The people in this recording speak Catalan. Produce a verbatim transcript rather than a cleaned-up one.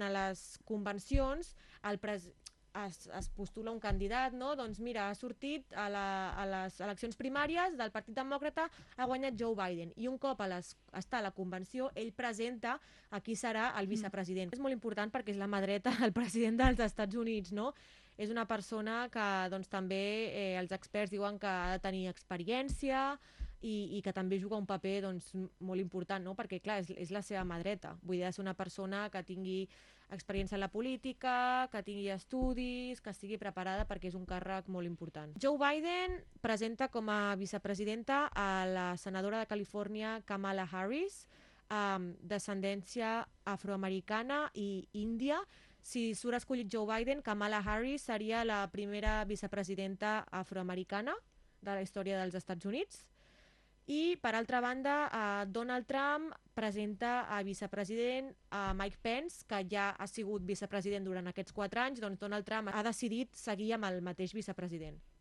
en les convencions el pres es, es postula un candidat, no? Doncs mira, ha sortit a, la, a les eleccions primàries del Partit Demòcrata, ha guanyat Joe Biden, i un cop a les, està a la convenció, ell presenta a qui serà el vicepresident. Mm. És molt important perquè és la mà dreta del president dels Estats Units, no? És una persona que doncs, també eh, els experts diuen que ha de tenir experiència i, i que també juga un paper doncs, molt important, no? Perquè clar, és, és la seva mà dreta. Vull dir, ha de ser una persona que tingui experiència en la política, que tingui estudis, que estigui preparada perquè és un càrrec molt important. Joe Biden presenta com a vicepresidenta a la senadora de Califòrnia Kamala Harris, amb descendència afroamericana i índia. Si surt escollit Joe Biden, Kamala Harris seria la primera vicepresidenta afroamericana de la història dels Estats Units. I, per altra banda, eh, Donald Trump presenta a vicepresident a Mike Pence, que ja ha sigut vicepresident durant aquests quatre anys, doncs Donald Trump ha decidit seguir amb el mateix vicepresident.